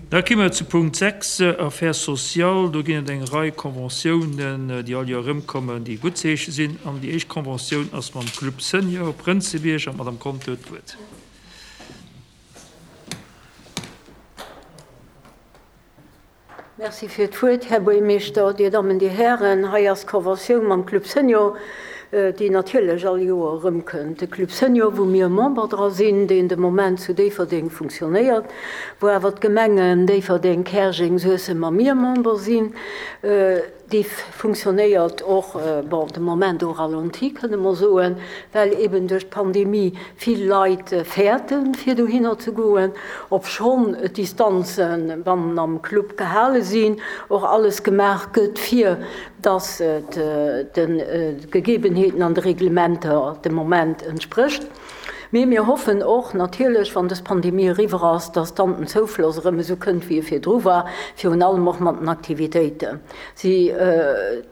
Da komme mer zu Punkt 6, Affaires sociales. Do ginn et eng Rei Conventiounen, déi all Joer erëmkommen, déi guttzeeche sinn. An déi éischt Conventioun ass mam Club Senior Prënzebierg. An d'Madame Conter huet d'Wuert. Merci fir d'Wuert, Här Buergermeeschter, Dir Dammen, Dir Hären. Hei ass d'Conventioun mam Club Senior, déi natierlech all Joer erëmkënnt. De Club Senior, wou mir Member dra sinn, deen de Moment zu Déifferdeng funktionéiert, wou awer d'Gemengen Déifferdeng, Käerjeng, Suessem a mir Member sinn. Déi funktionéiert och, bon, de Moment au ralenti, kënne mer soen, well eben duerch d'Pandemie vill Leit fäerten, fir dohinner ze goen, obschonn d'Distanze bannen am Club gehale sinn, och alles gemaach gëtt, fir dass et de Gegebenheeten an de Reglementer de Moment entsprécht. Mee mir hoffen och natierlech, wann dës Pandemie eriwwer ass, dass dann den Zoufloss erëm esou kënnt, wéi e virdru war, virun allem och mat den Aktivitéiten. Si,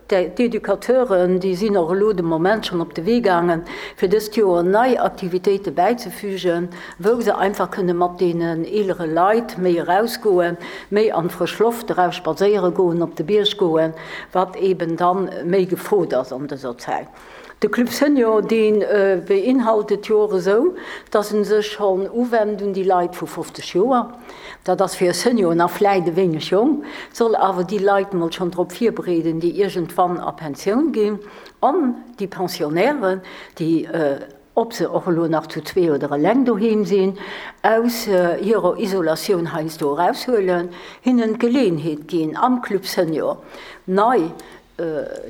d'Educateuren, déi sinn och elo de Moment schonn op de Wee gaangen, fir dëst Joer nei Aktivitéite bäizefügen, wou se einfach kënne mat deenen eelere Leit méi erausgoen, méi an d'frësch Loft eraus spadséiere goen, op de Bierg goen, wat eeben da méi gefrot ass an dëser Zäit. De Club Senior, dee beinhaltet jo och esou, dass en sech schonn uwennt un déi Leit vu 50 Joer. Dat ass fir e Senior nach vläit e wéineg jonk, soll awer déi Leit mol schonn drop virbereeden, déi iergendwann a Pensioun ginn, an déi Pensionnairen, déi, ob se och elo nach zu zwee oder eleng doheem sinn, aus hirer Isolatioun heiansdo eraushuelen, hinnen d'Geleeënheet ginn, am Club Senior nei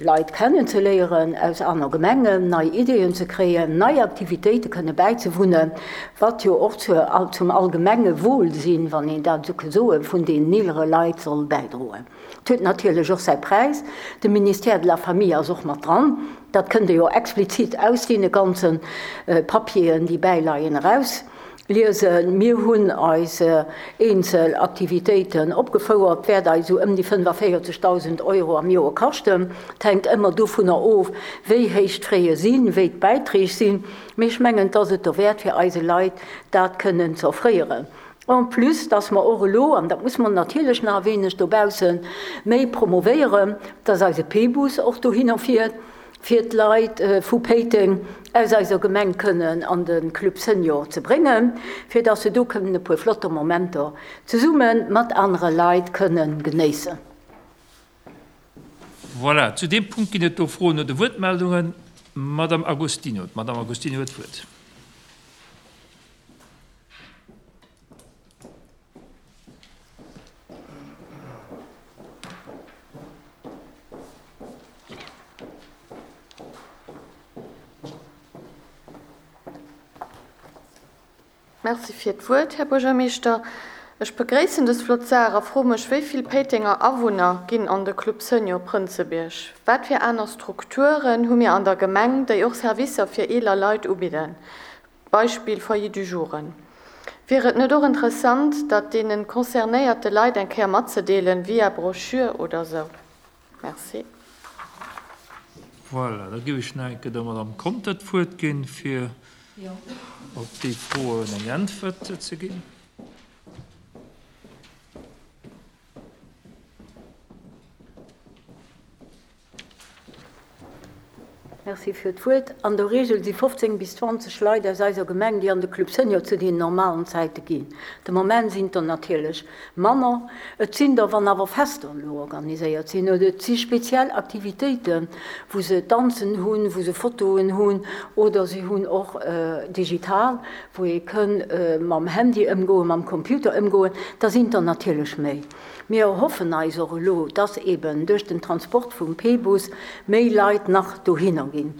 Leit kennen ze léieren aus aner Gemengen, nei Ideeën ze kréien, nei Aktivitéite kënne bäizewunnen, wat jo och zum allgemenge Wohlsinn, wann een dat esou ke soen, vun deenen eelere Leit soll bäidroen. Et huet natierlech och säi Präis. De Ministère de la Famille ass och mat dran. Dat kënnt Der jo explizit aus deene ganze Papieren, déi bäileien, eraus. Liesen. Mir hunn eis eenzel Aktivitéiten opgefouert, wäert eis esou ëm déi 45.000 Euro am Joer kaschten. Et hänkt ëmmer dovunner of, wéi héich d'Fraie sinn, wéi d'Bäiträg sinn. Mee ech mengen, et ass et derwäert, fir eise Leit dat kënnen ze offréieren. En plus, dass mer och elo, an dat muss mer natierlech nach e wéineg dobausse méi promovéieren, dass eise P-Bus och dohinner fiert, fir d'Leit vu Péiteng aus eiser Gemeng kënnen an de Club Senior ze bréngen, fir dass se do kënnen e puer flotter Momenter zesumme mat anere Leit kënnen genéissen. Voilà, zu deem Punkt ginn et do Froen oder Wuertmeldungen. Madame Agostino, d'Madame Agostino huet d'Wuert. Merci fir d'Wuert, Här Buergermeeschter. Ech begréissen dës flott Saach a froe mech, wéi vill Péitenger Awunner ginn an de Club Senior Prënzebierg? Wat fir aner Strukturen hu mir an der Gemeng, déi och Servicer fir eeler Leit ubidden? Beispill Foyer du jouren. Wier et net och interessant, dat deenen concernéierte Leit eng Kéier matzedeelen, via Brochure oder sou? Merci. Voilà, da géif ech nach eng Kéier der Madame Conter d'Wuert ginn, fir op déi Froen eng Äntwert ze ginn. Merci fir d'Wuert. An der Reegel si 15 bis 20 Leit aus eiser Gemeng, déi an de Club Senior zu deenen normalen Zäite ginn. De Moment sinn et der natierlech manner. Et sinn der, wann awer Fester elo organiséiert sinn oder et si speziell Aktivitéiten, wou se Danzen hunn, wou se Fotoen hunn oder si hunn och digital, wou ee kënn mam Handy ëmgoen, mam Computer ëmgoen, da sinn et der natierlech méi. Mir erhoffen eis och elo, dass eben duerch den Transport vum P-Bus méi Leit nach dohinner ginn.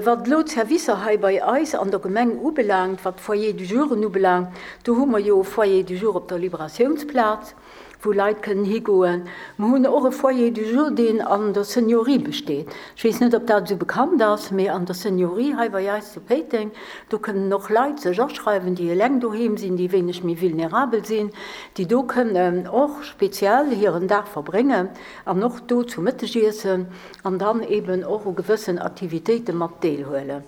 Wat elo d'Servicer hei bei eis an der Gemeng ubelaangt, wat d'Foyers du jouren ubelaangt, do hu mer jo e Foyer du jour op der Liberatiounsplaz, wou Leit kënnen higoen. Mer hunn och e Foyer du jour, deen an der Seniorie besteet. Ech weess net, ob dat esou bekannt ass, mee an der Seniorie hei bei eis zu Péiteng, do kënnen och Leit sech aschreiwen, déi eleng doheem sinn, déi wéineg méi vulnerabel sinn, déi do kënnen och speziell hiren Dag verbréngen an och do zu Mëtteg iessen an dann eeben och u gewëssen Aktivitéite mat deelhuelen.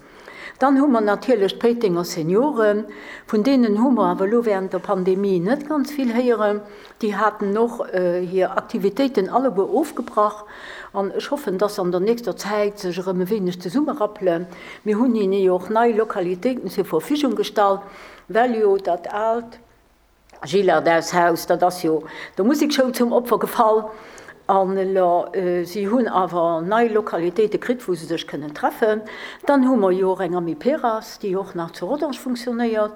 Dann hu mer natierlech d'Péitenger Senioren, vun deenen hu mer awer elo während der Pandemie net ganz vill héieren. Déi haten och hir Aktivitéiten alleguer ofgebrach an ech hoffen, dass se an der nächster Zäit sech erëm e wéineg zesummerappelen. Mir hunn hinne jo och nei Lokalitéiten zur Verfügung gestallt, well jo dat aalt Gillardeshaus, dat ass jo der Musekschoul zum Opfer gefall. An elo, si hunn awer nei Lokalitéite kritt, wou se sech kënnen treffen. Dann hu mer jo och eng Amiperas, déi och nach zu Rodange funktionéiert.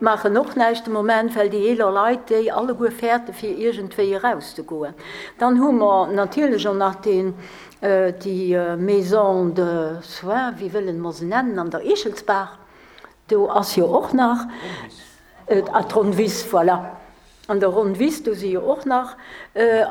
Maachen och näischt de Moment, well déi eeler Leit déi alleguer fäerte fir iergendwéi erauszegoen. Dann hu mer natierlech och nach deen, déi Maison de soins, wéi wëllen mer se nennen, an der Eechelsbaach. Do ass jo och nach, ah, d'Ronnwiss, voilà. An der Ronnwiss, do si jo och nach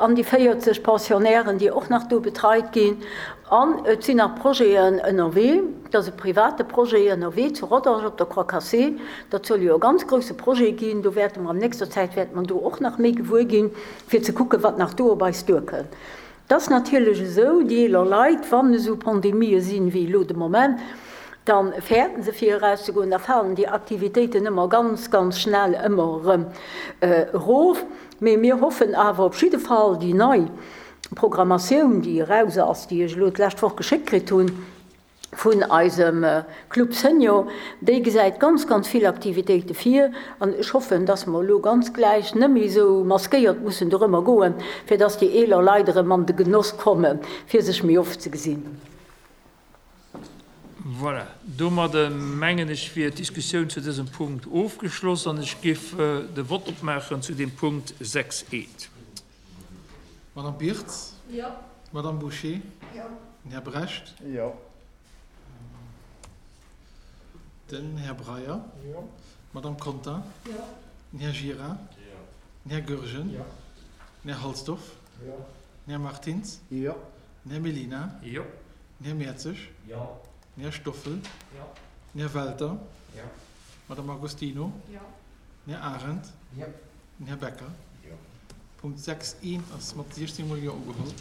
an déi 40 Pensionnairen, déi och nach do betreit ginn. An et sinn nach Projeten ënnerwee, et ass e private Projet ënnerwee zu Rodange op der Croix Cassée. Dat soll jo e ganz grouse Projet ginn. Do wäerte mer an nächster Zäit wäerte mer do och nach méi gewuer ginn, fir ze kucken, wat nach do op eis duerkënnt. Et ass natierlech esou, déi eeler Leit, wann esou Pandemië sinn, wéi elo de Moment, da fäerten se fir erauszegoen, da falen déi Aktivitéiten ëmmer ganz, ganz schnell ëmmer erëm erof. Mee mir hoffen awer op jidde Fall, déi nei Programmatioun, déi eraus ass, déi ech elo d'lescht Woch geschéckt kritt hunn, vun eisem Club Senior, déi gesäit ganz, ganz vill Aktivitéite vir an ech hoffen, dass mer elo ganz gläich net méi esou maskéiert mussen dorëmmer goen, fir dass déi eeler Leit erëm an de Genoss kommen, fir sech méi oft ze gesinn. Voilà, domadde mengen ech wier d'Diskussioun zu dësem Punkt ofgeschloss an ech géif de Vott opmaachen zu deem Punkt 6 eent. Madame Birtz? Jo. Madame Bouché? Jo. Den Här Brecht? Jo. Den Här Breyer? Jo. D'Madame Conter? Jo. Den Här Gira? Jo. Den Här Goergen? Jo. Den Här Halsdorf? Jo. Den Här Martins? Jo. Den Här Mellina? Jo. Den Här Mertzig? Jo. Den Här Stoffel? Jo. Den Här Welter? Jo. D'Madame Agostino? Jo. Den Här Arendt? Jo. Den Här Becker? Jo. Punkt 6 I ass mat 16 mol Jo ugeholl.